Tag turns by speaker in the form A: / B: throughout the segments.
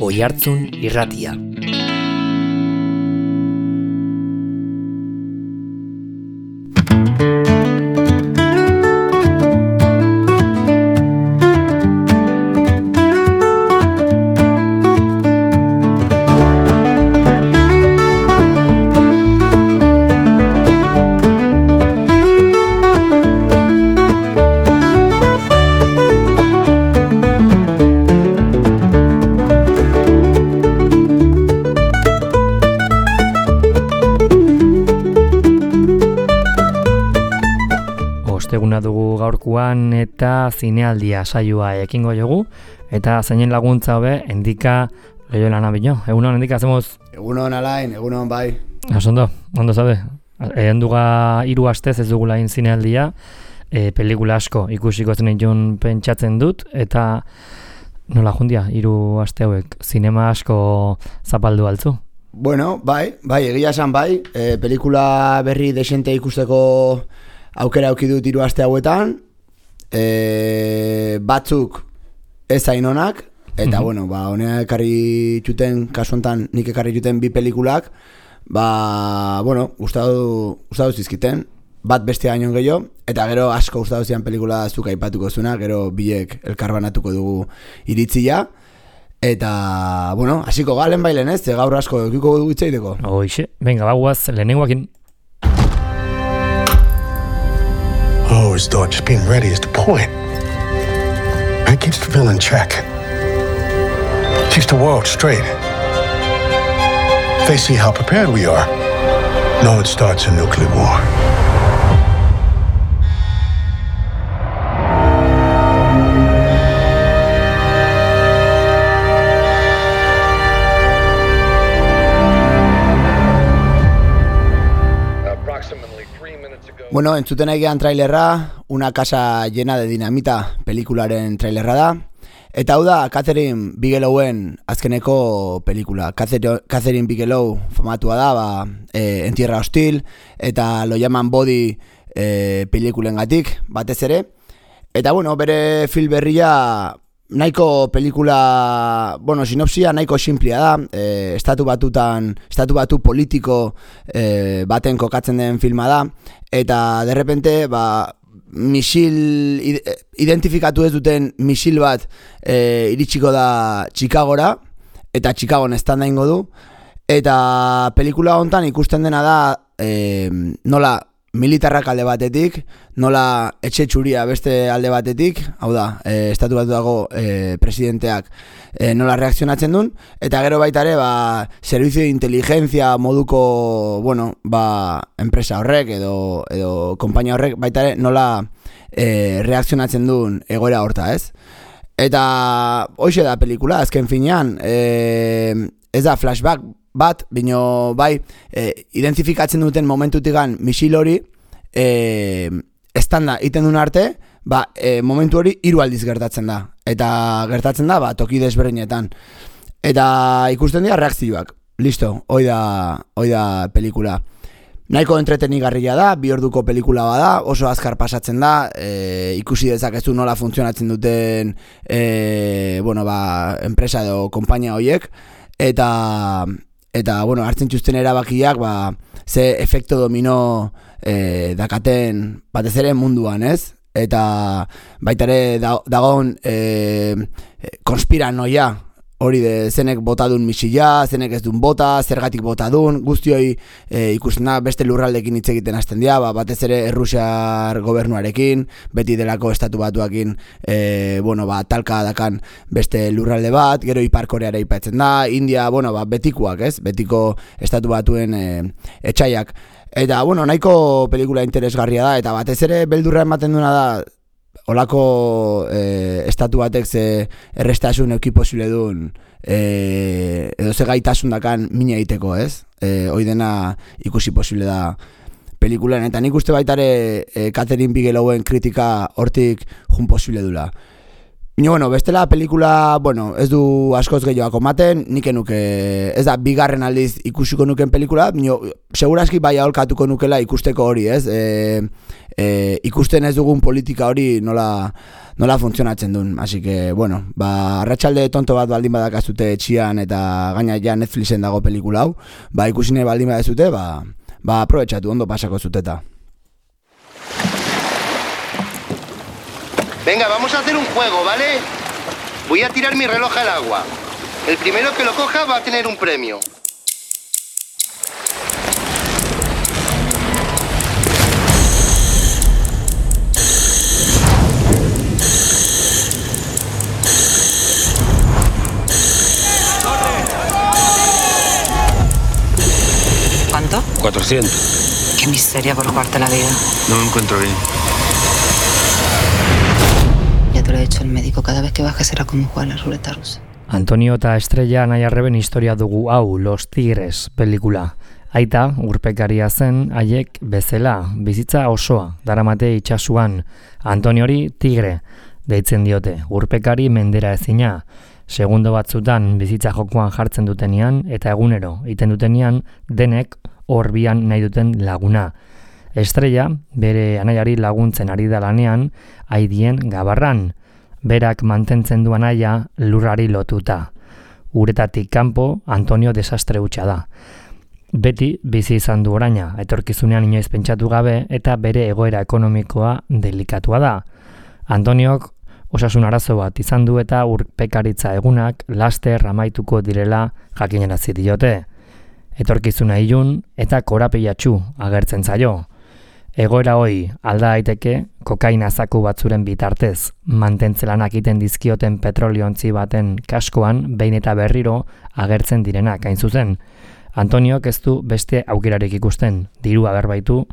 A: Oihartzun Irratia. Osteguna dugu gaurkuan eta zinealdia saioa ekingo jogu eta zeinen laguntza hobe Endika Loyola Nabino. Egunon Endika, hacemos.
B: Egunon Alain, egunon bai.
A: Ondo sabe. Enduga 3 astez ez dugu lain zinealdia, pelikula asko ikusiko zenitun pentsatzen dut eta nola jundia 3 aste hauek zinema asko zapaldu altzu.
B: Bueno, bai, egia esan bai, pelikula berri desente ikusteko aukera auki dut 3 aste hauetan, batzuk ez hain onak, eta bueno, honea ekarri txuten, kasu hontan nik ekarri txuten 2 pelikulak, bueno, gustatu zizkiten, bat beste gainon gehiago, eta gero asko gustatu zian pelikula zuk aipatuko zuna, gero biek elkarbanatuko dugu iritzia, eta, bueno, hasiko galen bailen ez, gaur asko eukiko dugu itzaiteko.
A: Hoixe, venga, baguaz, lehenengoakin.
C: Always thought just being ready is the point. That keeps the villain in check. Keeps the world straight. They see how prepared we are. No, it starts a nuclear war.
B: Bueno, entzuten aigean trailerra, Una casa llena de dinamita pelikularen trailerra da. Eta hau da Catherine Bigelowen azkeneko pelikula. Catherine Bigelow famatua da, En tierra hostil, eta lo llaman body pelikulengatik, batez ere. Eta bueno, bere film berria nahiko pelikula, bueno, sinopsia nahiko simplia da, estatu batu politiko baten kokatzen den filma da, eta derrepente, misil, identifikatu ez duten misil bat iritsiko da Chicagora, eta Chicagon estanda ingo du, eta pelikula hontan ikusten dena da, nola militarrak alde batetik, nola etxe txuria beste alde batetik, hau da, estatu batu dago presidenteak nola reakzionatzen duen, eta gero baita ere, servizio de inteligencia moduko, bueno, enpresa horrek edo konpainia horrek baita ere nola reakzionatzen duen egoera horta, ez? Eta hoxe da pelikula, azken finean, ez da flashback bat, bino bai, identifikatzen duten momentutikan misil hori, estanda iten duen arte, momentu hori 3 aldiz gertatzen da. Eta gertatzen da, toki desberdinetan. Eta ikusten dira reakzioak. Listo, hoi da pelikula. Nahiko entretenigarria da, 2 orduko pelikula bada, oso azkar pasatzen da, ikusi dezakezu nola funtzionatzen duten enpresa edo konpainia horiek, eta bueno, hartzen txusten erabakiak, ze efekto domino dakaten batez ere munduan, ez? Eta baita ere dagoen konspiranoia, hori de zenek botadun misila, zenek ez duen bota, zergatik botadun, guztioi ikusten da beste lurraldekin hitz egiten hasten dira, batez ere Errusiar gobernuarekin, beti delako estatu batuakin, talka dakan beste lurralde bat, gero Ipar Koreara aipatzen da, India, betikoak, ez? Betiko estatu batuen etxaiak. Eta, nahiko pelikula interesgarria da, eta batez ere beldurra ematen duena da, olako estatu batek ze errestasun euki posible duen edo ze gaitasun dakan mina egiteko, ez? Hoi dena ikusi posible da pelikulan, eta nik uste baitare Catherine Bigelowen kritika hortik jun posible dula. Bueno, bestela pelikula, ez du askoz gehiago ematen, nik enuke, ez da, bigarren aldiz ikusiko nuken pelikula, seguraski bai aholkatuko nukela ikusteko hori, ez? Ikusten ez dugun politika hori nola funtzionatzen duen, así que, arratsalde tonto bat baldin badakazute etxian eta gaina ja Netflixen dago pelikula hau, ikusine baldin badazute, aprobetxatu, ondo pasako zuteta.
D: Venga, vamos a hacer un juego, ¿vale? Voy a tirar mi reloj al agua. El primero que lo coja va a tener un premio.
E: ¿Cuánto?
F: 400.
E: Qué miseria por jugarte la vida.
F: No me encuentro bien.
E: Ya te lo ha dicho el médico, cada vez que bajes será como jugar a la ruleta rusa.
A: Antonio eta Estrella Anaiarreben historia dugu hau, Los Tigres pelikula. Aita, urpekaria zen, haiek bezala, bizitza osoa, daramate itxasuan. Antoniori Tigre, deitzen diote, urpekari mendera ezina. Segundo batzutan bizitza jokoan jartzen dutenean, eta egunero, iten dutenean, denek horbian nahi duten laguna. Estrella, bere anaiari laguntzen ari da lanean, aidien gabarran. Berak mantentzen du anaia lurrari lotuta. Uretatik kanpo, Antonio desastre hutsa da. Beti bizi izan du oraina, etorkizunean inoiz pentsatu gabe eta bere egoera ekonomikoa delikatua da. Antoniok osasun arazo bat izan du eta urpekaritza egunak laster amaituko direla jakinarazi diote. Etorkizuna ilun eta korapilatsu agertzen zaio. Egoera hoi alda daiteke kokaina zaku batzuren bitartez, mantentzelanak iten dizkioten petroliontzi baten kaskoan behin eta berriro agertzen direnak hain zuzen. Antoniok ez du beste aukerarik ikusten, dirua berbaitu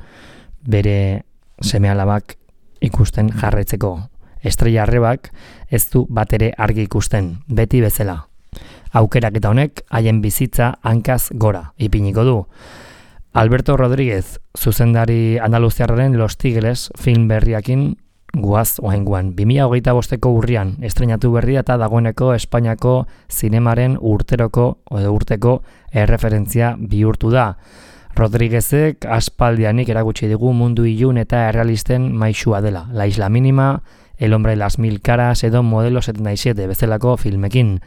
A: bere seme-alabak ikusten jarraitzeko. Estrella arrebak ez du batere argi ikusten, beti bezala. Aukerak eta honek haien bizitza hankaz gora ipiniko du. Alberto Rodríguez, zuzendari andaluziarraren Los Tigres film berriakin guaz oainguan. 2025ko urrian estreinatu berria eta dagoeneko Espainiako zinemaren urteko erreferentzia bihurtu da. Rodríguezek aspaldianik erakutsi digu mundu ilun eta errealisten maisua dela. La Isla Mínima, El hombre de las mil caras edo Modelo 77 bezalako filmekin.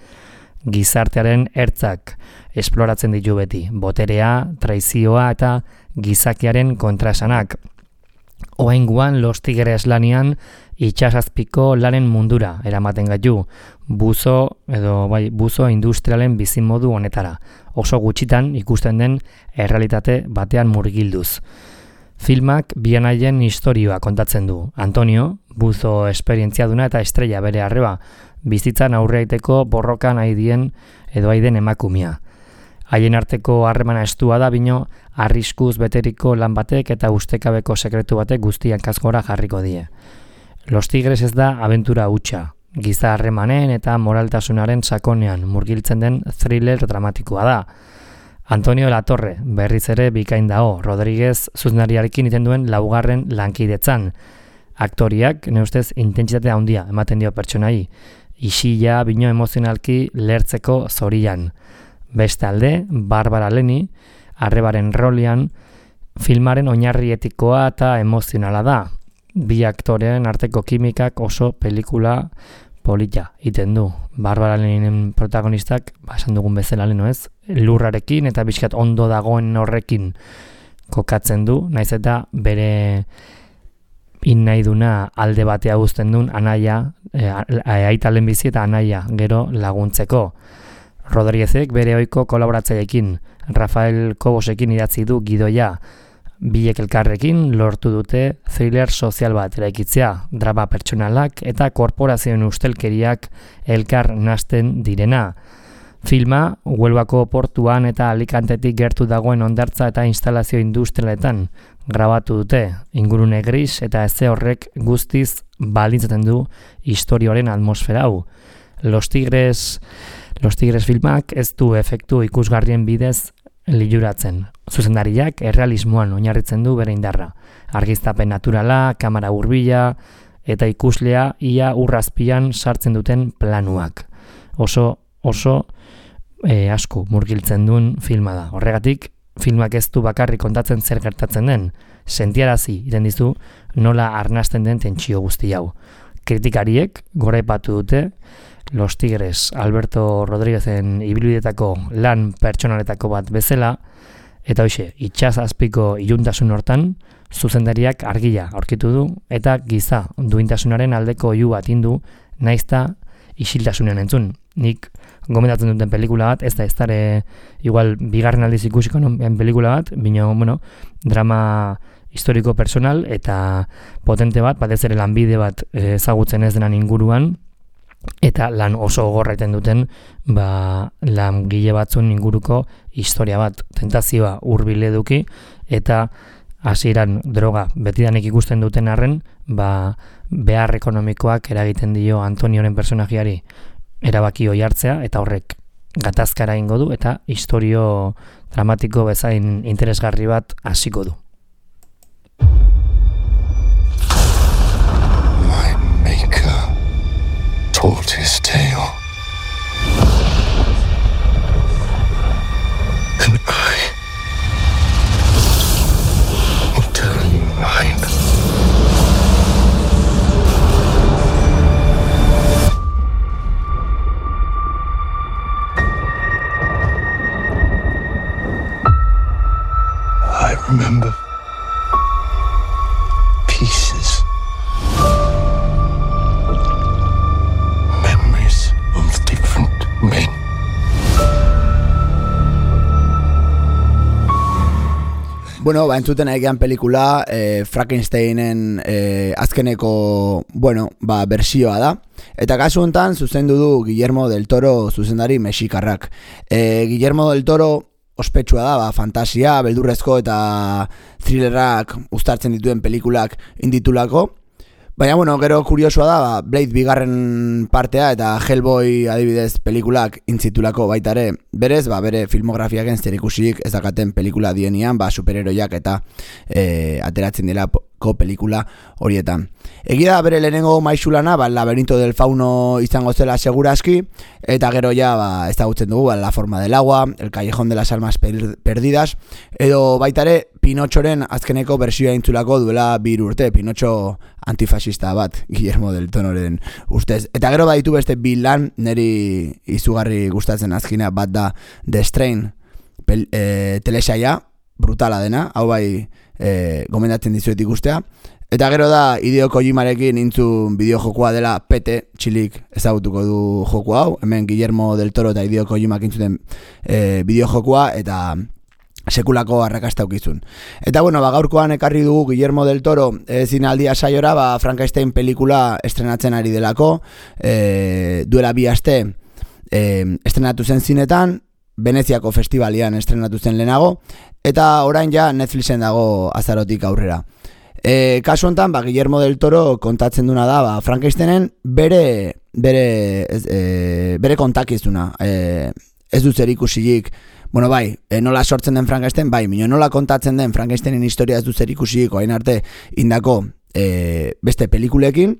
A: Gizartearen ertzak esploratzen ditu beti, boterea, traizioa eta gizakiaren kontraesanak. Oraingoan Los Tigres lanean itsasazpiko lanen mundura eramaten gaitu, buzo industrialen bizimodu honetara, oso gutxitan ikusten den errealitate batean murgilduz. Filmak bi anaien istorioa kontatzen du. Antonio, buzo esperientziaduna eta Estrella bere arreba, bizitzan aurreaiteko borrokan aiden emakumea. Haien arteko harremana estua da bino arriskuz beteriko lan batek eta ustekabeko sekretu batek guztian kasgora jarriko die. Los Tigres ez da abentura hutsa, giza harremanen eta moraltasunaren sakonean murgiltzen den thriller dramatikoa da. Antonio Latorre berriz ere bikain dao, Rodríguez zuzenariarekin iten duen laugarren lankidetzan. Aktoriak, neustez, intentsitate handia ematen dio pertsonai, isila bino emozionalki lertzeko zorian. Bestalde, Barbara Leni, arrebaren rolian, filmaren oinarri etikoa eta emozionala da. Bi aktorean arteko kimikak oso pelikula polita iten du. Barbara Leninen protagonistak, esan dugun bezala leno ez, lurrarekin eta bizkat ondo dagoen horrekin kokatzen du, naiz eta bere nahi duna alde batea uzten duen anaia, aita lehenbizi eta anaia gero laguntzeko. Rodríguezek bere ohiko kolaboratzaileekin, Rafael Cobosekin idatzi du gidoia, bilek elkarrekin lortu dute thriller sozial bat eraikitzea, drama pertsonalak eta korporazioen ustelkeriak elkar nasten direna. Filma, Huelvako portuan eta Alicantetik gertu dagoen hondartza eta instalazio industrialetan grabatu dute, ingurune gris eta eze horrek guztiz baldintzaten du historioaren atmosfera hau. Los Tigres filmak ez du efektu ikusgarrien bidez liluratzen. Zuzendariak errealismoan oinarritzen du bere indarra. Argiztapen naturala, kamera hurbila eta ikuslea ia urrazpian sartzen duten planuak. Oso asko murgiltzen duen filma da. Horregatik, filmak ez du bakarrik kontatzen zer gertatzen den, sentiarazi iten dizu nola arnasten den tentsio guzti hau. Kritikariek goraipatu dute Los Tigres Alberto Rodríguezen ibilbideetako lan pertsonaletako bat bezala, eta hoxe, itsas azpiko iluntasun hortan, zuzendariak argia aurkitu du, eta giza duintasunaren aldeko oihu bat indu, naizta isiltasunean entzun. Nik gomendatzen duten pelikula bat, ez da igual bigarren aldiz ikusiko pelikula bat, bino, drama historiko personal eta potente bat, batez ere lanbide bat ezagutzen ez denan inguruan, eta lan oso gogorra iten duten langile batzun inguruko historia bat, tentazioa hurbil eduki, eta hasieran droga betidanik ikusten duten arren, behar ekonomikoak eragiten dio Antonioren personajiari erabaki hoi hartzea, eta horrek gatazkara ingo du, eta historio dramatiko bezain interesgarri bat hasiko du.
C: My maker told his tale. And I will tell you mine. I remember pieces. Memories of different men.
B: Bueno, entzuten egean pelikula Frankensteinen azkeneko, bersioa da. Eta kasu honetan zuzendu du Guillermo del Toro zuzendari mexikarrak. Guillermo del Toro ospetsua da, fantasia, beldurrezko eta thrillerrak uztartzen dituen pelikulak inditulako. Baina, gero kuriosoa da, Blade bigarren partea eta Hellboy adibidez pelikulak intzitulako baitare. Berez, bere filmografiaken zer ikusik ez dakaten pelikula dienian, superheroiak eta ateratzen dirako pelikula horietan. Egia da bere lehenengo maixulana, Laberinto del Fauno izango zela seguraski, eta gero ja ezagutzen dugu, La Forma del Agua, El Callejón de las Almas Perdidas, edo baitare Pinotxoren azkeneko bersioa intzulako duela 2 urte, Pinotxo antifasista bat, Guillermo del Tororen ustez. Eta gero baditu beste 2 lan, niri izugarri gustatzen azkina bat da The Strain telesaia, brutala dena, hau gomendatzen dizuet ikustea. Eta gero da Hideo Kojimarekin intzun bideojokoa dela Pete, txilik ezagutuko du joku hau, hemen Guillermo del Toro eta Hideo Kojimak intzuten bideojokoa, eta sekulako arrakasta ukizun. Eta gaurkoan ekarri dugu Guillermo del Toro zinaldia saiora, Frankenstein pelikula estrenatzen ari delako, duela 2 aste estrenatu zen zinetan, Veneziako festivalian estrenatu zen lehenago, eta orain ja Netflixen dago azarotik aurrera. Kasu honetan, Guillermo del Toro kontatzen duna da, Frankensteinen bere kontakizuna. Ez du zer ikusirik, nola sortzen den Frankenstein, nola kontatzen den Frankensteinen historia ez du zer ikusirik orain arte indako beste pelikulekin.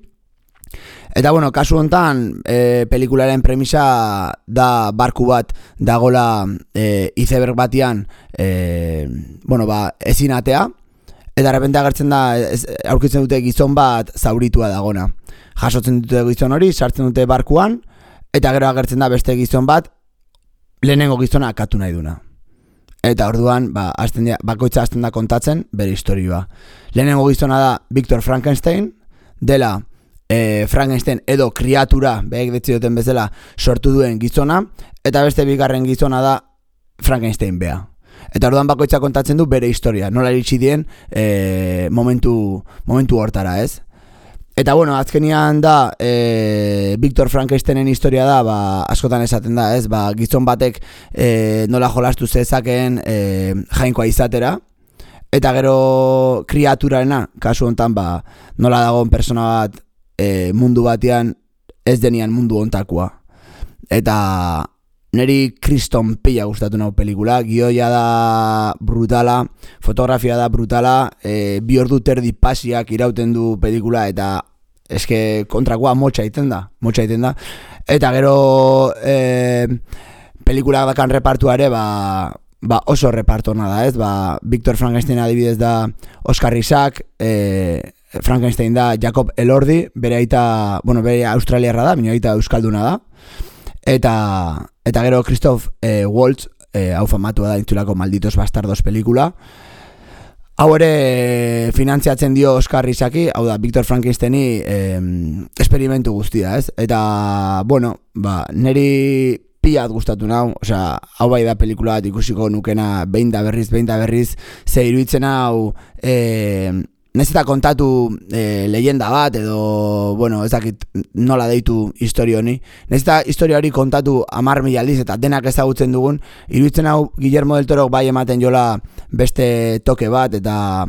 B: Eta kasu honetan pelikularen premisa da barku bat dagola iceberg batian ezin atea, eta repente agertzen da aurkitzen dute gizon bat zauritua dagona. Jasotzen dute gizon hori, sartzen dute barkuan, eta gero agertzen da beste gizon bat lehenengo gizona akatu nahi duna. Eta orduan bakoitza hasten da kontatzen bere historioa. Lehenengo gizona da Victor Frankenstein, dela Frankenstein edo kriatura, behek detzioten bezala sortu duen gizona, eta beste bigarren gizona da Frankenstein bea. Eta orduan bakoitza kontatzen du bere historia, nola iritsi dien momentu hortara, ez? Eta azkenian da Victor Frankensteinen historia da, askotan esaten da, ez? Gizon batek nola jolastu zezakeen jainkoa izatera, eta gero kriaturarena, kasu hontan nola dagoen persona bat mundu batean ez denian mundu hontakoa. Eta neri kriston pila gustatu nau pelikula, gioia da brutala, fotografia da brutala, 2 ordu terdi pasiak irauten du pelikula, eta eske kontrakoa motxa egiten da. Eta gero pelikulak dakan repartua ere, oso repartona da, ez? Victor Frankenstein adibidez da Oscar Isaac, Frankenstein da Jacob Elordi, bere aita, bere australiarra da, bere aita euskalduna da. Eta gero Christoph Waltz, hau famatua da intzulako Malditos Bastardos pelikula. Hau ere finantziatzen dio Oscar Isaki, hau da Victor Frankensteini esperimentu guztia, ez? Eta, neri piat gustatu nau, hau bai da pelikula bat ikusiko nukena behin da berriz, ze iruditzen hau nahiz eta kontatu leyenda bat edo, ez dakit nola deitu historio honi. Nahiz eta historio hori kontatu 10.000 aldiz eta denak ezagutzen dugun, iruditzen hau Guillermo del Toro bai ematen jola beste toke bat eta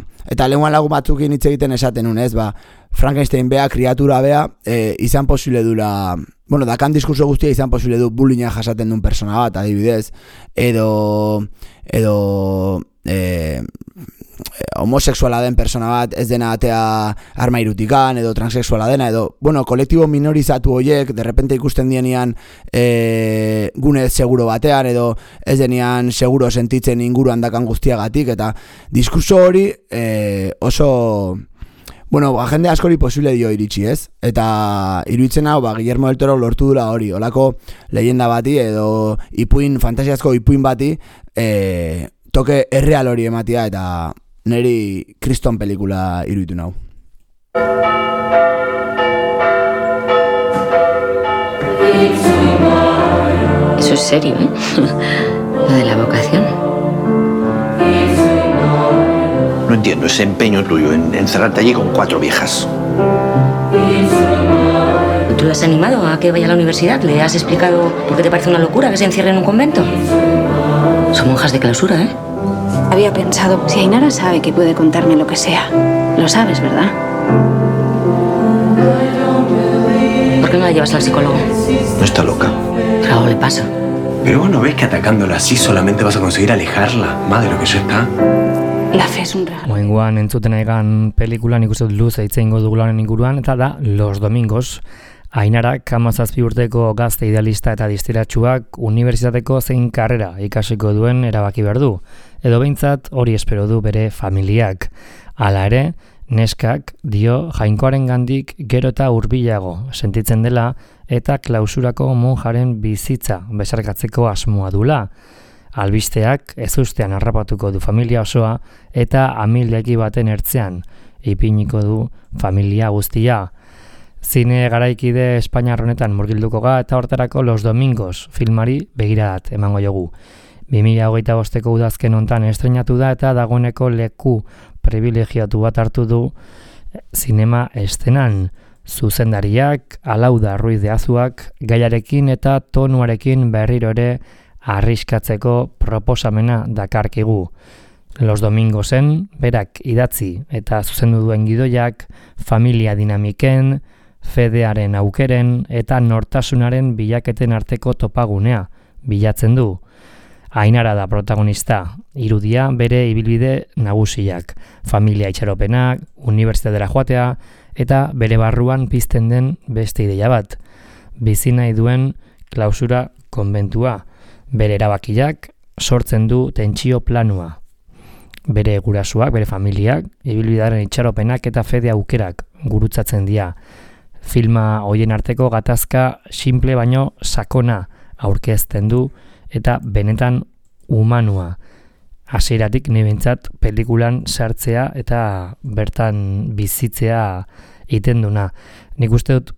B: lehenguan lagun batzukin hitz egiten esaten nun, ez? Frankenstein bea, kriatura bea, izan posible dula, dakan diskurso guztia izan posible du bullyinga jasaten duen persona bat, adibidez, edo homosexuala den persona bat ez dena atea armairutikan edo transexuala dena edo, kolektibo minorizatu horiek derrepente ikusten dienean gune seguro batean edo ez denean seguro sentitzen inguruan dakan guztiagatik eta diskurso hori oso jende askori posible dio iritsi, ez? Eta iruditzen hau, Guillermo del Toro lortu dula hori, olako leyenda bati edo fantasiazko ipuin bati toke erreal hori ematia eta neri kriston pelikula iruditu nau.
E: Eso es serio, ¿eh? Lo de la vocación.
F: No entiendo ese empeño tuyo en encerrarte allí con 4 viejas.
E: ¿Tú lo has animado a que vaya a la universidad? ¿Le has explicado por qué te parece una locura que se encierre en un convento? Son monjas de clausura, ¿eh?
G: Había pensado, si Ainara sabe que puede contarme lo que sea, lo sabes, ¿verdad?
E: ¿Por qué no la llevas al psicólogo?
F: No está loca.
E: Pero algo le pasa.
H: Pero vos no ves que atacándola así solamente vas a conseguir alejarla más de lo que ya está.
G: La fe es un regalo.
A: Moengoan entzuten egan pelikulan ikusten luz eitzeingo dugularen inguruan eta da Los Domingos. Ainarak 17 urteko gazte idealista eta distiratsuak unibertsitateko zein karrera ikasiko duen erabaki behar du, edo behintzat hori espero du bere familiak. Hala ere, neskak dio jainkoaren gandik gero eta hurbilago sentitzen dela eta klausurako monjaren bizitza besarkatzeko asmoa dula. Albisteak ezustean harrapatuko du familia osoa eta amildegi baten ertzean ipiniko du familia guztia. Zine garaikide Espainiar honetan murgilduko ga eta hortarako Los Domingos filmari begiradat emango jogu. 2025ko udazken hontan estreinatu da eta dagoeneko leku privilegiatu bat hartu du zinema estenan. Zuzendariak, Alauda Ruiz de Azuak, gaiarekin eta tonuarekin berriro ere arriskatzeko proposamena dakarkigu. Los Domingosen, berak idatzi eta zuzendu duen gidoiak, familia dinamiken, fedearen aukeren eta nortasunaren bilaketen arteko topagunea bilatzen du. Ainara da protagonista, irudia bere ibilbide nagusiak, familia itxaropenak, unibertsitatera joatea eta bere barruan pizten den beste ideia bat. Bizi nahi duen klausura konbentua, bere erabakiak sortzen du tentsio planua. Bere gurasuak, bere familiak, ibilbidearen itxaropenak eta fede aukerak gurutzatzen dira. Filma hoien arteko gatazka simple baino sakona aurkezten du eta benetan humanua. Hasieratik ni behintzat pelikulan sartzea eta bertan bizitzea egiten duna. Nik uste dut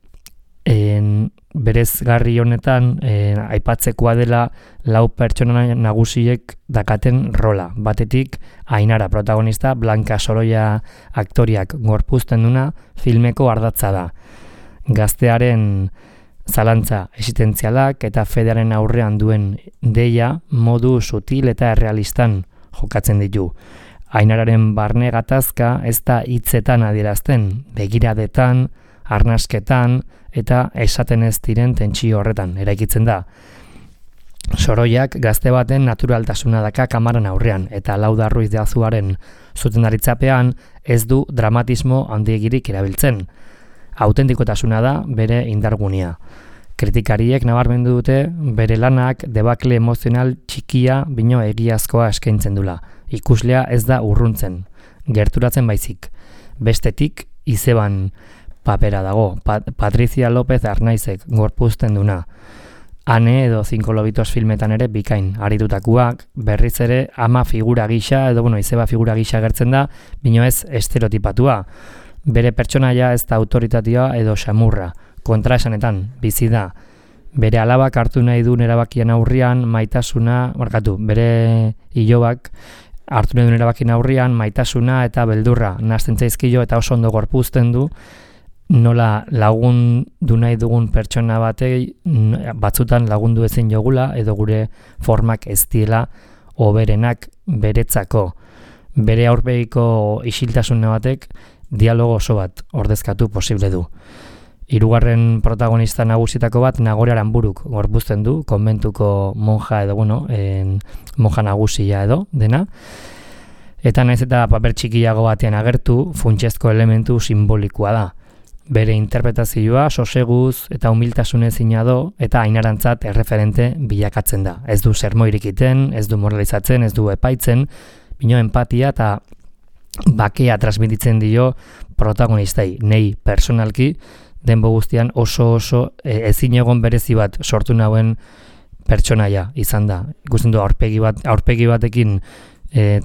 A: berezgarri honetan aipatzekoa dela 4 pertsona nagusiek dakaten rola. Batetik Ainara protagonista, Blanca Sorolla aktoriak gorpuzten duna filmeko ardatza da. Gaztearen zalantza existentzialak eta fedearen aurrean duen deia modu sutil eta errealistan jokatzen ditu. Ainararen barne gatazka ez da hitzetan adierazten, begiradetan, arnasketan eta esaten ez diren tentsio horretan eraikitzen da. Soroiak gazte baten naturaltasuna daka kamaran aurrean eta Alauda Ruiz de Azuaren zuzendaritzapean ez du dramatismo handiegirik erabiltzen. autentikotasuna da bere indargunea. Kritikariek nabarmendu dute bere lanak debakle emozional txikia bino egiazkoa eskaintzen dula. Ikuslea ez da urruntzen, gerturatzen baizik. Bestetik, izeban papera dago, Patricia López Arnaizek gorpuzten duna. Ane edo 5 lobitos filmetan ere bikain aritutakoak, berriz ere ama figura gisa edo izeba figura gisa gertzen da, bino ez estereotipatua. Bere pertsonaia ez da autoritatea edo xamurra, kontraesanetan bizi da. Bere alabak hartu nahi duen erabakien aurrian maitasuna, bere ilobak hartu nahi duen erabakien aurrian maitasuna eta beldurra nahasten zaizkio eta oso ondo gorpuzten du nola lagundu nahi dugun pertsona batei batzutan lagundu ezin jogula edo gure formak ez diela hoberenak beretzako. Bere aurpegiko isiltasuna batek dialogo oso bat ordezkatu posible du. Hirugarren protagonista nagusitako bat Nagore Aranburuk gorpuzten du, konbentuko monja edo, monja nagusia edo, dena. Eta naiz eta paper txikiago batean agertu, funtsezko elementu simbolikoa da. Bere interpretazioa soseguz eta humiltasunezina do eta Ainarantzat erreferente bilakatzen da. Ez du sermoirik iten, ez du moralizatzen, ez du epaitzen, bino empatia eta bakea transmititzen dio protagonistai, nei personalki, denbo guztian oso ezin egon berezi bat sortu nauen pertsonaia izan da. Ikusten du aurpegi batekin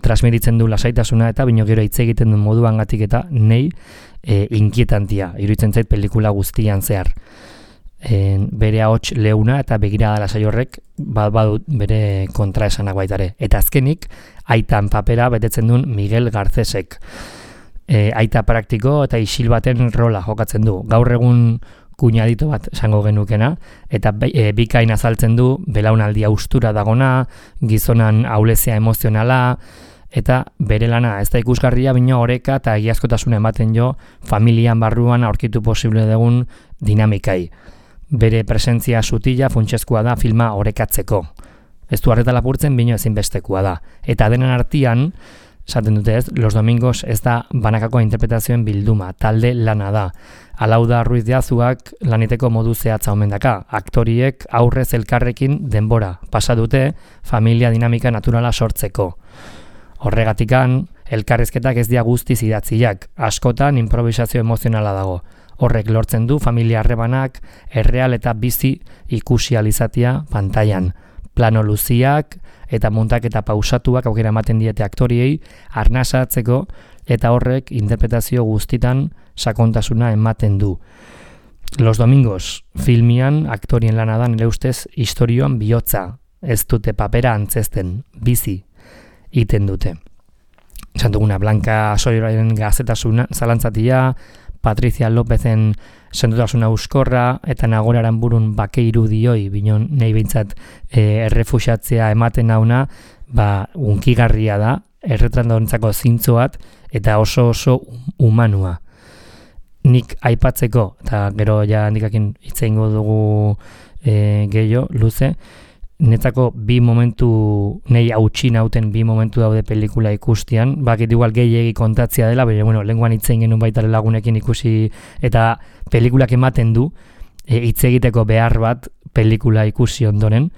A: transmititzen du lasaitasuna eta bino gero hitz egiten duen moduangatik eta nei inkietantia, iruditzen zait pelikula guztian zehar. Bere ahots leuna eta begirada lasai horrek badut bere kontraesanak baitare. Eta azkenik, aitan papera betetzen duen Miguel Garcesek. Aita praktiko eta isil baten rola jokatzen du. Gaur egun kuñadito bat esango genukena, eta bikain azaltzen du belaunaldia ustura dagona, gizonan ahulezia emozionala, eta bere lana ez da ikusgarria bino oreka eta egiazkotasuna ematen jo familian barruan aurkitu posible dugun dinamikai. Bere presentzia sutila funtsezkoa da filma orekatzeko. Ez du arreta lapurtzen bino ezinbestekoa da. Eta denen artean, esaten dute ez, Los Domingos ez da banakako interpretazioen bilduma, talde lana da. Alauda Ruiz de Azuak laniteko modu zehatza omen daka. Aktoriek aurrez elkarrekin denbora pasa dute familia dinamika naturala sortzeko. Horregatikan, elkarrizketak ez dia guztiz idatziak, askotan improvisazio emozionala dago. Horrek lortzen du familia harremanak erreal eta bizi ikusializatia pantailan. Plano luziak eta muntaketa pausatuak aukera ematen diete aktoriei arnasatzeko eta horrek interpretazio guztitan sakontasuna ematen du. Los Domingos filmian aktorien lana da nire ustez istorioan bihotza, ez dute papera antzesten, bizi iten dute. Esan duguna, Blanca Soiraren gaztetasuna zalantzatia, Patricia Lópezen sendotasuna euskorra eta Nagore Aranburun bake irudioi, binon nahi behintzat errefusatzea ematen nauna, unkigarria da, erretrandorentzako zintzoat eta oso humanua. Nik aipatzeko, eta gero ja handikakin hitz egingo dugu gehiago, luze, netzako bi momentu, nahi hautsi nauten bi momentu daude pelikula ikustian, bakit igual gehiegi kontatzia dela, baina lenguan hitz egin genuen baita lagunekin ikusi, eta pelikulak ematen du, hitz egiteko behar bat pelikula ikusi ondoren.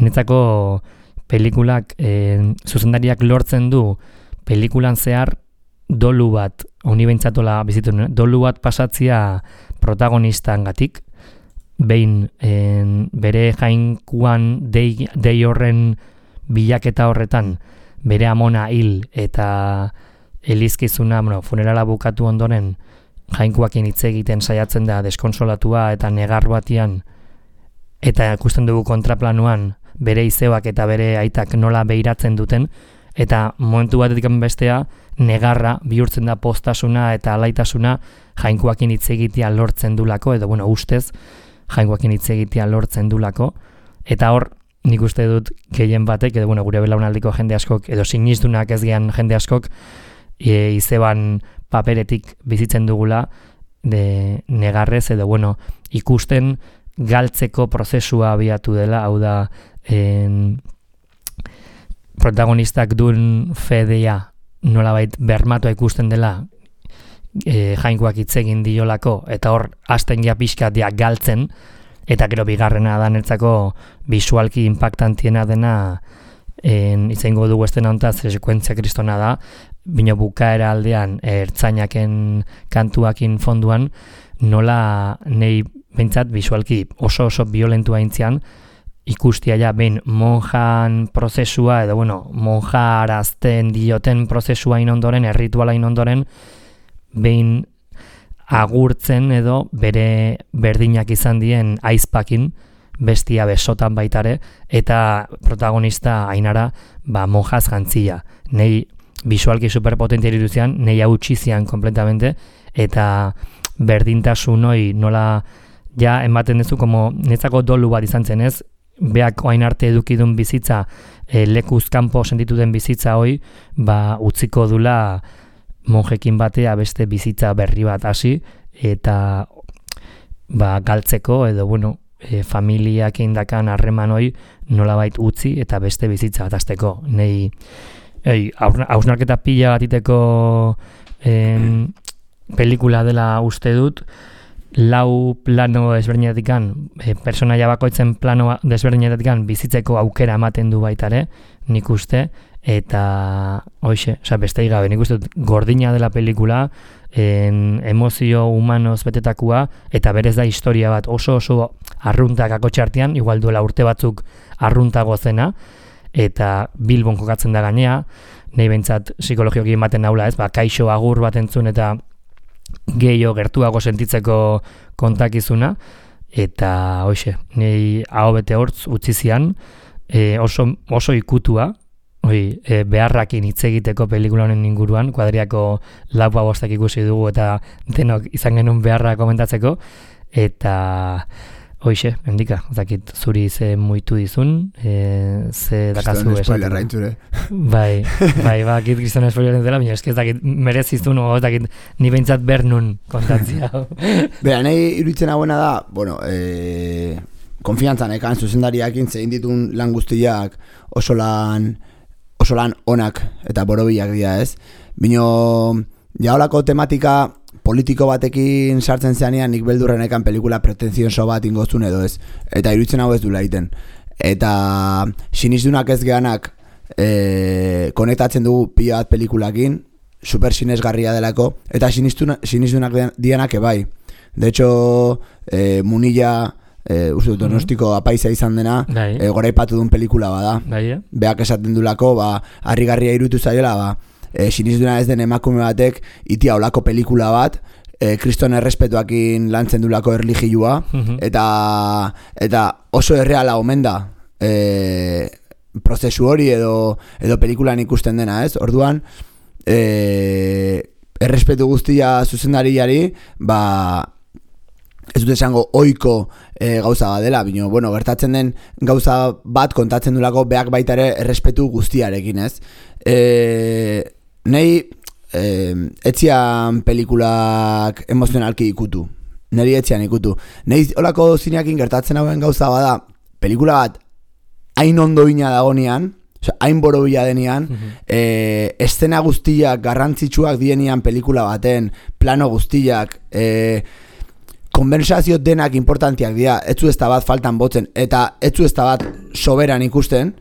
A: Netzako pelikulak, zuzendariak lortzen du pelikulan zehar dolu bat, honi behintzatola bizitu, dolu bat pasatzia protagonistan-gatik, behin bere jainkuan dei horren bilaketa horretan bere amona hil eta elizkizuna, funerala bukatu ondoren jainkuakin hitz egiten saiatzen da deskonsolatua eta negar batian eta ikusten dugu kontraplanuan bere izebak eta bere aitak nola behiratzen duten eta momentu batetik bestea negarra bihurtzen da postasuna eta alaitasuna jainkuakin hitz egitea lortzen dulako edo ustez jainkoakin hitz egitea lortzen dulako, eta hor nik uste dut gehien batek, edo gure belaunaldiko jende askok, edo sinizdunak ez gehan jende askok, izeban paperetik bizitzen dugula, negarrez, edo ikusten galtzeko prozesua abiatu dela, hau da, protagonistak duen fedea nolabait bermatua ikusten dela, jainkoak hitz egin diolako, eta hor hasten ja pixka dia galtzen, eta gero bigarrena da netzako bisualki impactantiena dena, izango dugu estena hontaz, sekuentzia kristona da, bino bukaera aldean ertzainaken kantuakin fonduan, nola nei behintzat bisualki oso violentua intzian, ikustia ja behin monjan prozesua, edo monja arazten dioten prozesua inondoren, errituala inondoren, behin agurtzen edo bere berdinak izan dien aizpakin, bestia besotan baitare, eta protagonista Ainara monjaz jantzia. Nei bisualki superpotentia irudizian, nei hautsi zian kompletamente, eta berdintasun hoi nola ja ematen duzu, netzako dolu bat izan zen ez, beak oain arte edukidun bizitza, lekuz kanpo sentitu den bizitza hoi, utziko dula monjekin batea beste bizitza berri bat hasi, eta galtzeko, edo familiak indakan harreman hoi nolabait utzi eta beste bizitza bat hasteko. Nei hausnarketa pila batiteko pelikula dela uste dut, lau plano desberdinetikan, personaia bakoitzen plano desberdinetikan bizitzeko aukera ematen du baitare, nik uste, eta beste gabe, nik uste dut gordina dela pelikula, emozio humanoz betetakua, eta berez da historia bat oso arruntak akotxartean, igual duela urte batzuk arruntago zena, eta Bilbon kokatzen da gainea, nahi behintzat psikologioki ematen naula ez, kaixo agur bat entzun eta gehiago gertuago sentitzeko kontakizuna, eta nahi hau bete hortz utzi zian, oso ikutua, beharrakin hitz egiteko pelikula honen inguruan, kuadriako laua bostak ikusi dugu eta denok izan genuen beharra komentatzeko, eta endika, zakit zuri ze muitu dizun, ze dakazu
B: esatu. Spoiler raintzure.
A: Bai, kit kriston spoiler dela, baina eski ez dakit merezizun, ez dakit ni behintzat bernun kontatzia.
B: Bera, nahi iruditzen hauena da, konfiantzan ekan zuzendariakin zein ditun lan guztiak oso lan onak eta borobilak dira ez. Bino, jaolako tematika politiko batekin sartzen zeanean nik beldurren ekan pelikula pretenzionso bat ingozun edo ez. Eta iruditzen hau ez du laiten. Eta sinizdunak ez geanak konektatzen dugu pila bat pelikulakin, super sinesgarria delako, eta sinizdunak dianak ebai. De hecho, Munilla, uste dut Donostiko apaiza izan dena, goraipatu duen pelikula bada. Beak esaten dulako, harrigarria iruditu zaiola, sinizduna ez den emakume batek itia olako pelikula bat, kriston errespetuakin lantzen dulako erlijioa, eta oso erreala omen da prozesu hori edo pelikulan ikusten dena, ez? Orduan, errespetu guztia zuzendariari, ez dut esango ohiko gauza bat dela, bino, gertatzen den gauza bat kontatzen dulako beak baita ere errespetu guztiarekin, ez? Nei etzian pelikulak emozionalki ikutu. Neri etzian ikutu. Nei olako zineakin gertatzen hauen gauza bada, pelikula bat hain ondoina dagonean, hain borobila denean, eszena guztiak garrantzitsuak dienian pelikula baten, plano guztiak, konbensazio denak importantiak dira, etzu ez da bat faltan botzen, eta etzu ez da bat soberan ikusten,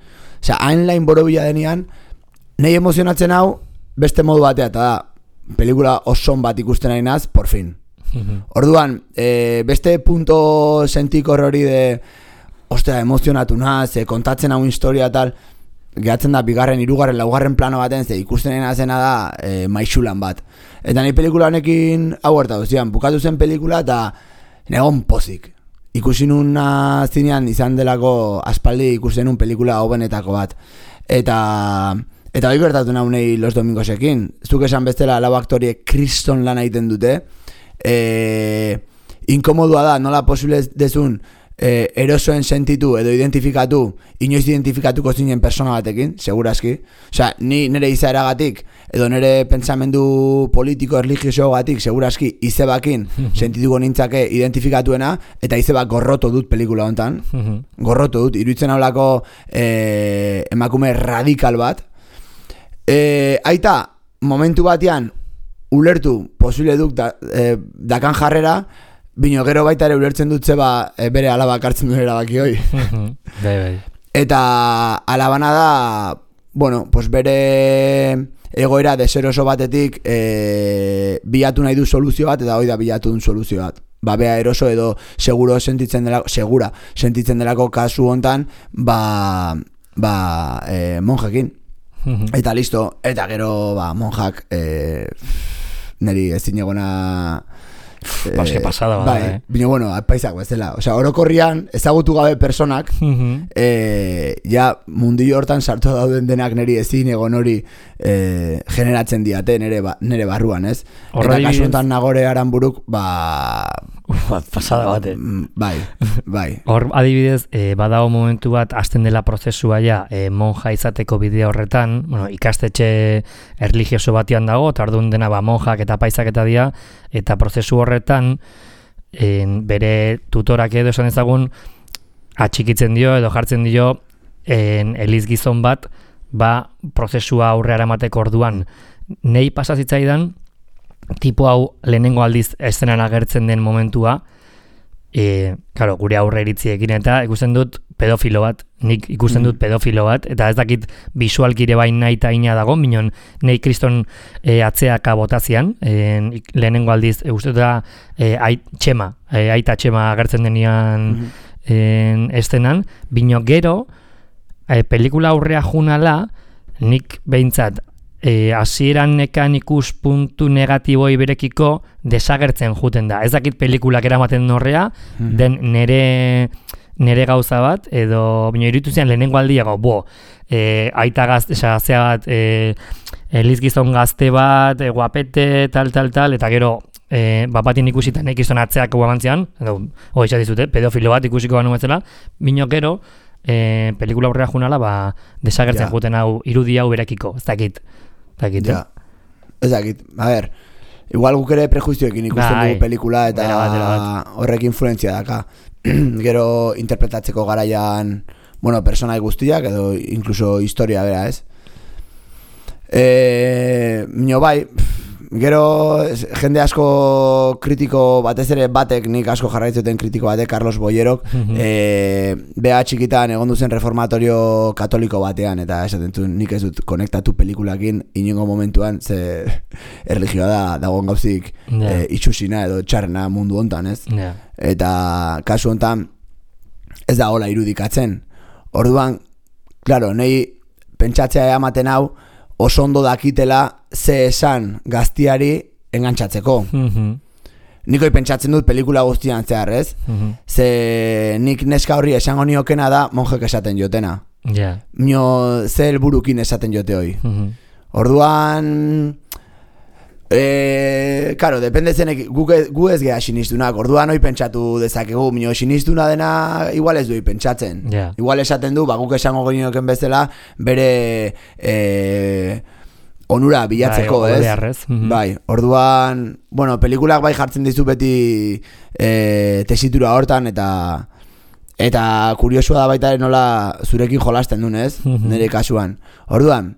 B: hain lain borobila denean, nahi emozionatzen hau, beste modu batea, eta da, pelikula oson bat ikusten ari naz, por fin. Orduan, beste punto sentikor hori de, ostea, emozionatu naz, kontatzen hau historia tal, gehatzen da, bigarren, hirugarren, laugarren plano baten, ze ikusten ari nazena da, maixulan bat. Eta nahi pelikula honekin, hau gertatu zian, bukatu zen pelikula, eta negon pozik. Ikusi nun zinean izan delako aspaldi ikusten nun pelikula hobenetako bat. Eta hori gertatu naunei Los Domingosekin. Zuk esan bestela lau aktoriek kriston lan egiten dute. Inkomodua da, nola posible dezun erosoen sentitu edo identifikatu, inoiz identifikatuko zinen persona batekin, segurazki. Osea, ni nire izaeragatik edo nire pentsamendu politiko erlijioso gatik, segurazki izebakin sentituko nintzake identifikatuena, eta izebak gorroto dut pelikula hontan. Gorroto dut, iruditzen haulako emakume radikal bat. Aita, momentu batean ulertu posible duk dakan jarrera, bino gero baita ere ulertzen dut zeba bere alabak hartzen duen erabaki hoi.
A: Bai.
B: Eta alabana da, bueno, pues bere egoera deseroso batetik bilatu nahi du soluzio bat, eta hoi da bilatu duen soluzio bat. Bea eroso edo segura sentitzen delako kasu hontan, monjekin. Eta listo, eta gero monjak neri ezin egona
A: Baske pasada bada,
B: Bino, bueno, paisak bezala. Osea, orokorrian ezagutu gabe personak ja mundio hortan sartu dauden denak neri ezin egon hori generatzen diate nere barruan, ez? Eta kasu honetan Nagore Aranburuk
A: pasada bate.
B: Bai.
A: Hor adibidez, badago momentu bat hasten dela prozesua ja monja izateko bidea horretan, bueno, ikastetxe erlijioso batian dago, eta orduan dena monjak eta paisak eta dira, eta prozesu horretan bere tutorak edo esan ezagun atxikitzen dio edo jartzen dio eliz gizon bat prozesua aurrera emateko orduan. Nei pasazitzaidan tipo hau lehenengo aldiz eszenan agertzen den momentua, claro, gure aurre iritziekin eta ikusten dut pedofilo bat, nik ikusten dut pedofilo bat, eta ez dakit bisualkire bain nahi eta ina dago, minon nahi kriston atzeaka botazian, lehenengo aldiz, uste da aita txema agertzen denian estenan, bino gero, pelikula aurrea junala, nik behintzat, hasieran nekan ikuspuntu negatiboi berekiko desagertzen juten da. Ez dakit pelikulak eramaten norrea, den nere gauza bat, edo bino iritu zian lehenengo aldiago, aita gazte, zea bat, eliz gizon gazte bat, guapete, tal, eta gero, bapatin ikusita nahi gizon atzeak guamantzian, edo, hoiza dizute, pedofilo bat ikusiko banu betzela, bino gero, pelikula aurrera junala, desagertzen juten hau, irudi hau berekiko, ez dakit.
B: Ja, ez dakit, a ver, igual guk ere prejuizioekin ikusten dugu pelikula eta horrek influentzia daka. Gero interpretatzeko garaian, bueno, personai guztiak edo incluso historia bera, ez? Mino bai, gero jende asko kritiko batez ere batek, nik asko jarraitzuten kritiko batek, Carlos Boyerok, beha txikitan egon duzen reformatorio katoliko batean, eta esaten du, nik ez dut konektatu pelikulakin inongo momentuan, ze erlijioa dagoen gauzik itxusina edo txarrena mundu hontan, ez? Eta kasu hontan ez da hola irudikatzen. Orduan, claro, nahi pentsatzea ematen hau, oso ondo dakitela ze esan gaztiari engantzatzeko. Nikoi pentsatzen dut pelikula guztian zehar, ez? Ze nik neska horri esango niokena da monjek esaten jotena. Mio ze helburukin esaten jote hoi. Orduan, claro, depende zenek gu ez geha sinistunak. Orduan hoi pentsatu dezakegu, mino sinistuna dena igual ez du pentsatzen. Igual esaten du, guk esango genioken bezala bere onura bilatzeko, ez? Bai, orduan, bueno, pelikulak bai jartzen dizu beti tesitura hortan, eta kuriosua da baita nola zurekin jolasten duen, ez? Nire kasuan. Orduan,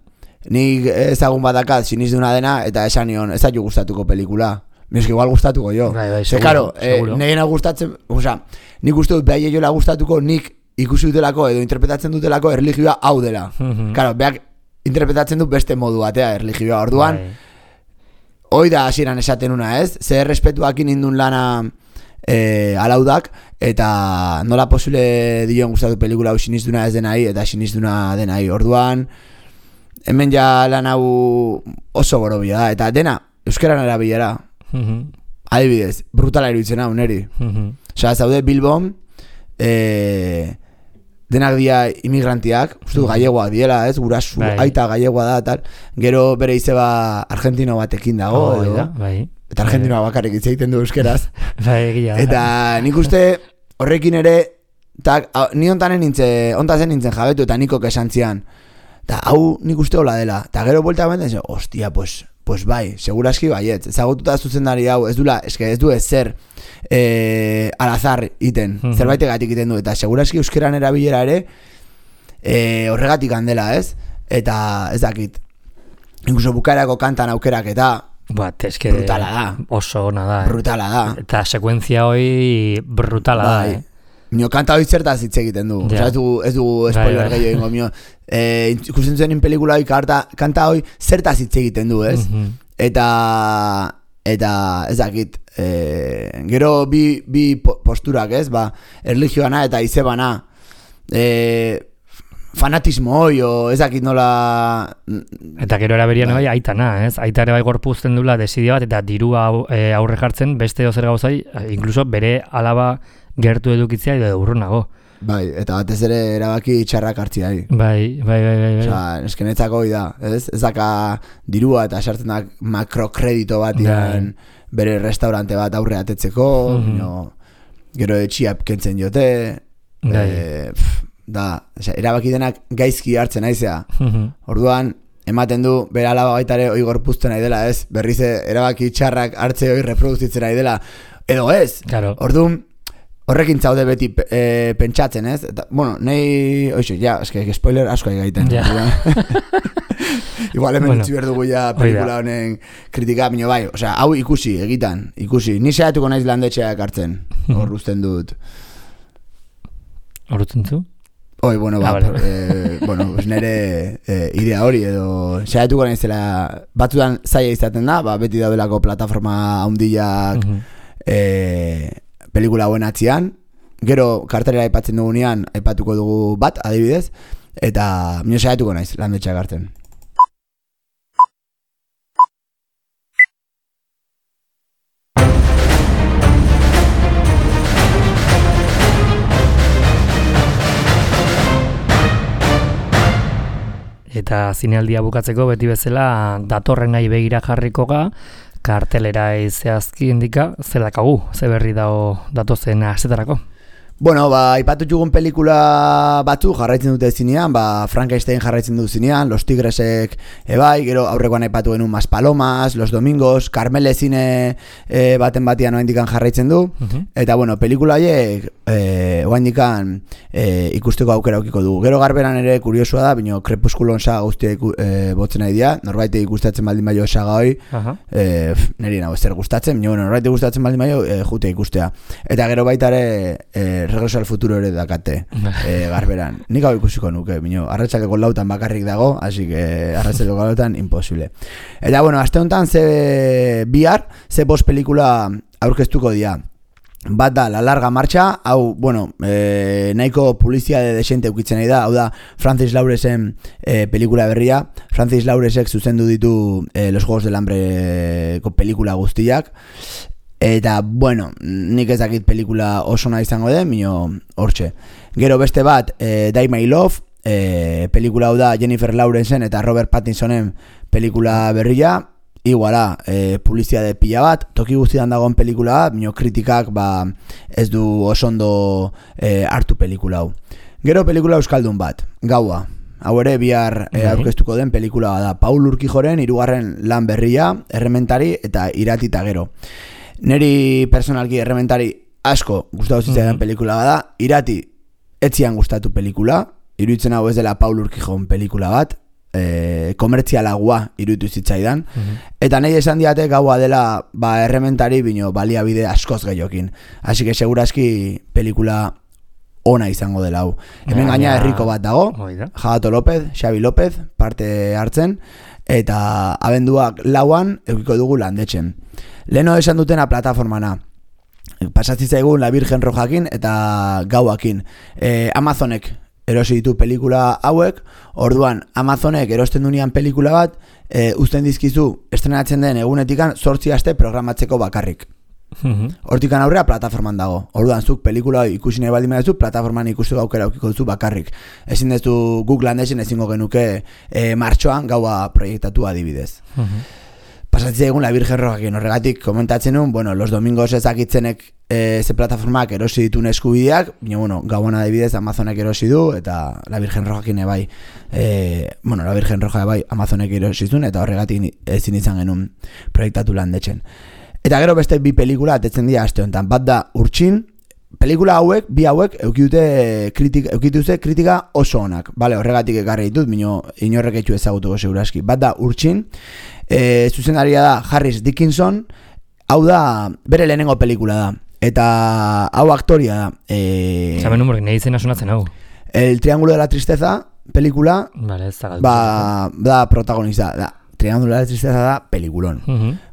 B: nik ezagun badakat sinistuna dena, eta esan nion, ez daitu gustatuko pelikula. Mizki igual gustatuko jo. Karo, negena gustatzen, oza, nik uste dut behai jola gustatuko, nik ikusi dutelako edo interpretatzen dutelako erlijioa hau dela. Karo, behak interpretatzen dut beste modu batea erlijioa. Orduan, hoi da hasieran esaten una, ez? Zer respetuakin indun lana alaudak, eta nola posible dion gustatu pelikula hau sinistuna ez denai, eta sinistuna denai. Orduan, hemen ja lan hau oso gorobia da, eta dena euskeran erabilera. Adibidez, brutala iruditzen hau neri. Osa, zaude Bilbon, denak dia imigrantiak, uste du gallegoak diela, ez? Gurasu, aita gallegoa da, tal. Gero bere izeba argentino batekin dago, eta argentinoa bakarrik hitz egiten du euskeraz. Eta nik uste horrekin ere, ni ontazen nintzen jabetu, eta nikok esan zian. Eta hau nik uste hola dela. Eta gero buelta benten, hostia, pues bai, seguraski baiet. Ezagututa zuzendari hau, ez du ezer alazar iten, zerbaitek iten du. Eta seguraski euskeran erabilera ere horregatik handela, ez? Eta ez dakit, incluso bukaerako kantan aukerak eta
A: eske
B: brutala da.
A: Oso ona da.
B: Brutala da.
A: Eta sekuentzia hoi brutala da.
B: Mio kanta hoi zertaz hitz egiten du.
A: Ja.
B: Osea, ez du spoiler gehiago ingo mio. Ikusten zuen pelikula hoi kanta hoi zertaz hitz egiten du, ez? Eta ez dakit, gero bi posturak, ez? Erlijioana eta izebana. Fanatismo hoi, ez dakit nola...
A: Eta gero eraberian bai aitana, ez? Aita ere bai gorpuzten dula desidio bat, eta dirua aurre jartzen beste ozer gauzai, inkluso bere alaba gertu edukitzea edo urrunago.
B: Bai, eta batez ere erabaki txarrak hartzia.
A: Bai.
B: Osa, eskenetzako da, ez? Ez daka dirua eta sartzen da makrokredito bat iran bere restaurante bat aurre atetzeko, gero etxiap kentzen jote, erabaki denak gaizki hartzen naizea. Orduan, ematen du, bere alaba baitare hoi gorpuzten nahi dela, ez? Berriz erabaki txarrak hartze hoi reproduzitzen nahi dela, edo ez?
A: Claro.
B: Orduan, horrekin zaude beti pentsatzen, ez? Eta, bueno, nahi, eske spoiler asko gaiten. Igual hemen utzi behar dugu ja pelikula honen kritika, bino bai, osea, hau ikusi. Ni saiatuko naiz landetxeak hartzen, hor uzten dut.
A: Hor uzten zu?
B: Nire idea hori edo saiatuko naizela batzutan zaila izaten da, beti daudelako plataforma handiak pelikula hauen atzian, gero kartelera aipatzen dugunean aipatuko dugu bat, adibidez, eta mino saiatuko naiz landetxeak hartzen.
A: Eta zinealdia bukatzeko beti bezala datorren nahi begira jarriko ga, kartelera zehazki indika, zer dakagu, ze berri dago datozen astetarako.
B: Bueno, ipatu jugun pelikula batzu jarraitzen dute zinean, Frankenstein jarraitzen du zinean, Los Tigresek ebai, gero aurrekoan aipatu genuen Maspalomas, Los Domingos, Carmele zine baten batian oaindikan jarraitzen du, eta bueno, pelikula haiek oaindikan ikusteko aukera aukiko du. Gero garberan ere kuriosua da, bino Krepuskulon saga guztia botzen nahi dira, norbaite gustatzen baldin baio saga hoi, niri nago ezer gustatzen, bino norbaite gustatzen baldin baio jute ikustea. Eta gero baita ere Regreso al Futuro ere dakate garberan. Nik hau ikusiko nuke, bino, arratsaleko 4 bakarrik dago, así que arratsaleko 4 imposible. Eta bueno, aste honetan bihar, 5 pelikula aurkeztuko dira. Bat da, La Larga Marcha, hau, bueno, nahiko publizitate desente ukitzen nahi da, hau da, Francis Lauresen pelikula berria. Francis Lauresek zuzendu ditu Los Juegos del Hambreko pelikula guztiak. Eta, bueno, nik ez dakit pelikula oso nahi izango den, mino hortxe. Gero beste bat, Die My Love, pelikula hau da Jennifer Lawrenceen eta Robert Pattinsonen pelikula berria, iguala, publizitate pila bat, toki guztian dagoen pelikula bat, mino kritikak ez du oso ondo hartu pelikula hau. Gero pelikula euskaldun bat, Gaua. Hau ere bihar aurkeztuko den pelikula da Paul Urquijoren 3. lan berria, Errementari eta Iratita gero. Neri personalki errementari asko gustatu zitzaidan pelikula bada, Irati etzian gustatu pelikula, iruditzen hau ez dela Paul Urquijon pelikula bat, komertzialagoa iruditu zitzaidan, eta nahi esan diate Gaua dela errementari bino baliabide askoz gehiokin. Así que segurazki pelikula ona izango dela hau. Hemen gaina herriko bat dago, Jagato López, Xabi López, parte hartzen, eta abenduak 4 eukiko dugu landetxen. Leno esan dutena plataformana. Pasatzizaigun La Virgen Rojakin eta Gauakin. Amazonek erosi ditu pelikula hauek, orduan Amazonek erosten dunean pelikula bat, uzten dizkizu estrenatzen den egunetikan 8 aste programatzeko bakarrik. Hortikan aurrea plataforman dago. Orduan zuk pelikula ikusi nahi baldin baduzu, plataforman ikusteko aukera aukiko duzu bakarrik. Ezin dezu guk landesen ezingo genuke martxoan Gaua proiektatu adibidez. Pasatzea egun La Virgen Rojakin, horregatik komentatzen nuen, bueno, Los Domingos ezakitzenek ze plataformak erosi ditun eskubideak, baina, bueno, Gauan adibidez Amazonek erosi du, eta La Virgen Rojakin ebai, La Virgen Roja ebai Amazonek erosi zuen, eta horregatik ezin izan genuen proiektatu landetxen. Eta gero beste 2 pelikula atetzen dira aste honetan, bat da Urtsin, pelikula hauek, bi hauek, eukitute kritika oso onak. Vale, horregatik ekarri ditut, inorrek etxu ezagutuko seguraski. Bat da, Urtsin, zuzendaria da Harris Dickinson, hau da, bere lehenengo pelikula da. Eta hau aktoria da.
A: Zamen humorek, nahi izena sonatzen hau.
B: El Triángulo de la Tristeza, pelikula,
A: Vale, ez da
B: da protagonista, da. Triángulo de la Tristeza da pelikulon.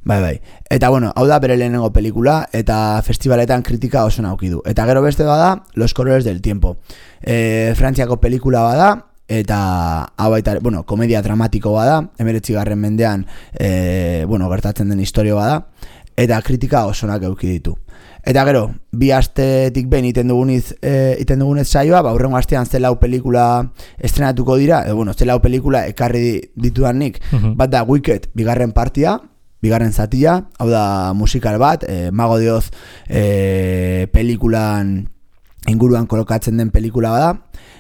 B: Bai. Eta bueno, hau da bere lehenengo pelikula eta festivaletan kritika oso nauki du. Eta gero beste bada Los Colores del Tiempo. Frantziako pelikula bada eta hau baita, bueno, komedia dramatiko bada, 19. mendean gertatzen den historia bada eta kritika oso onak eduki ditu. Eta gero, bi astetik behin iten dugunez saioa, hurrengo astean zelau pelikula estrenatuko dira, zelau pelikula ekarri ditudan nik, bat da Wicked bigarren partia, bigarren zatia, hau da musikal bat, Mago de Oz pelikulan inguruan kolokatzen den pelikula bada.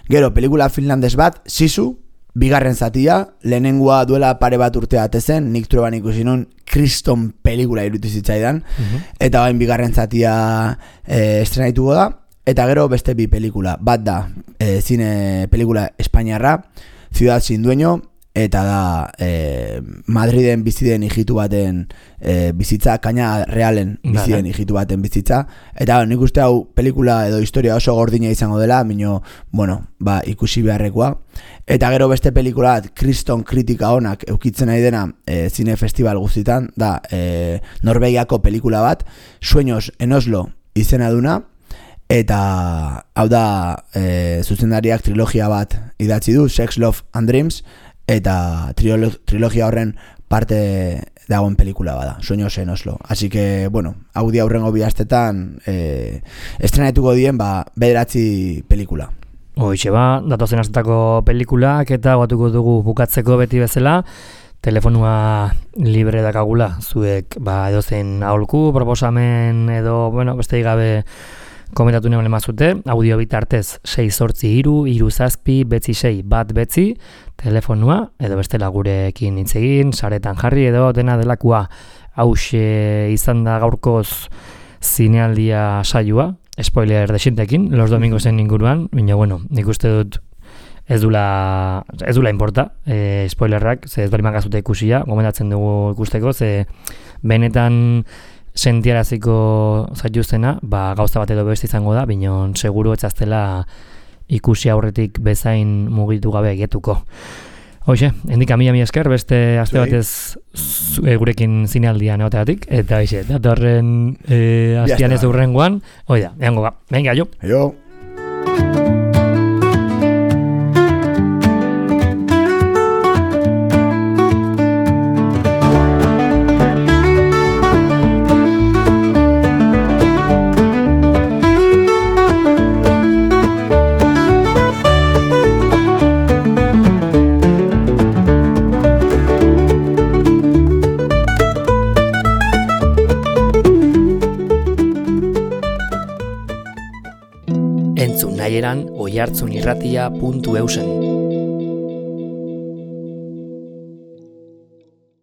B: Gero, pelikula finlandes bat, Sisu, bigarren zatia, lehenengoa duela pare bat urte atezen, nik Trueban ikusi nun, kriston pelikula irutu zitzaidan, eta bain bigarren zatia estrenaituko da, eta gero beste bi pelikula, bat da zine pelikula espainiarra, Ciudad sin dueño, eta da Madriden bizi den hijitu baten bizitza, Kaina Realen bizi den hijitu baten bizitza, eta nik uste hau pelikula edo historia oso gordina izango dela, ikusi beharrekoa. Eta gero beste pelikula bat, kriston kritika onak eukitzen nahi dena zine festival guztitan, da Norvegiako pelikula bat, Sueños en Oslo izena duna, eta hau da zuzendariak trilogia bat idatzi du, Sex, Love and Dreams, eta trilogia horren parte dagoen pelikula bada, Sueños en Oslo. Así que, hau di aurrengo bi astetan estrenatuko dien, bederatzi pelikula.
A: Hoixe datozen astetako pelikulak eta batuko dugu bukatzeko beti bezala, telefonua libre dakagula, zuek edozein aholku, proposamen edo, beste gabe komentatu neuen emazute, audio bitartez 6-8-3-3-6 telefonua, edo bestela gurekin hitz egin, saretan jarri edo dena delakoa. Hauxe izan da gaurkoz zinealdia saioa, spoiler desintekin, los domingosen inguruan, baina nik uste dut ez dula importa, spoilerrak, ez bali magazute ikusia, gomendatzen dugu ikusteko, ze benetan sentiaraziko zaituztena, gauza bat edo beste izango da, baina seguru etzaztela ikusi aurretik bezain mugitu gabe egetuko. Hoxe, endika mila esker, beste aste batez gurekin zinealdian egoteatik, eta hoxe, datorren astian ez urrengoan, oida, eango venga, jo. Oihartzunirratia.eusen